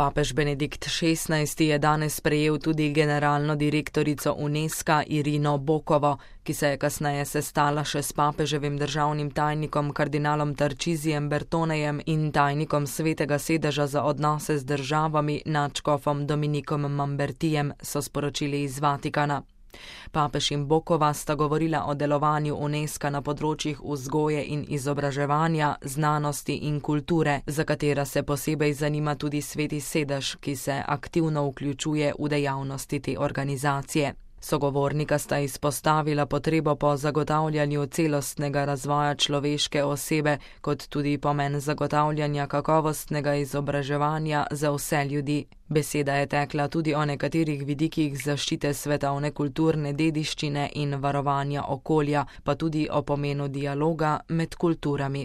Papež Benedikt XVI je danes sprejel tudi generalno direktorico Unesca Irino Bokovo, ki se je kasneje sestala še s papeževim državnim tajnikom kardinalom Tarcisijem Bertonejem in tajnikom Svetega sedeža za odnose z državami nadškofom Dominikom Mambertijem, so sporočili iz Vatikana. Papež in Bokova sta govorila o delovanju Unesca na področjih vzgoje in izobraževanja, znanosti in kulture, za katera se posebej zanima tudi Sveti sedež, ki se aktivno vključuje v dejavnosti te organizacije. Sogovornika sta izpostavila potrebo po zagotavljanju celostnega razvoja človeške osebe, kot tudi pomen zagotavljanja kakovostnega izobraževanja za vse ljudi. Beseda je tekla tudi o nekaterih vidikih zaščite svetovne kulturne dediščine in varovanja okolja, pa tudi o pomenu dialoga med kulturami.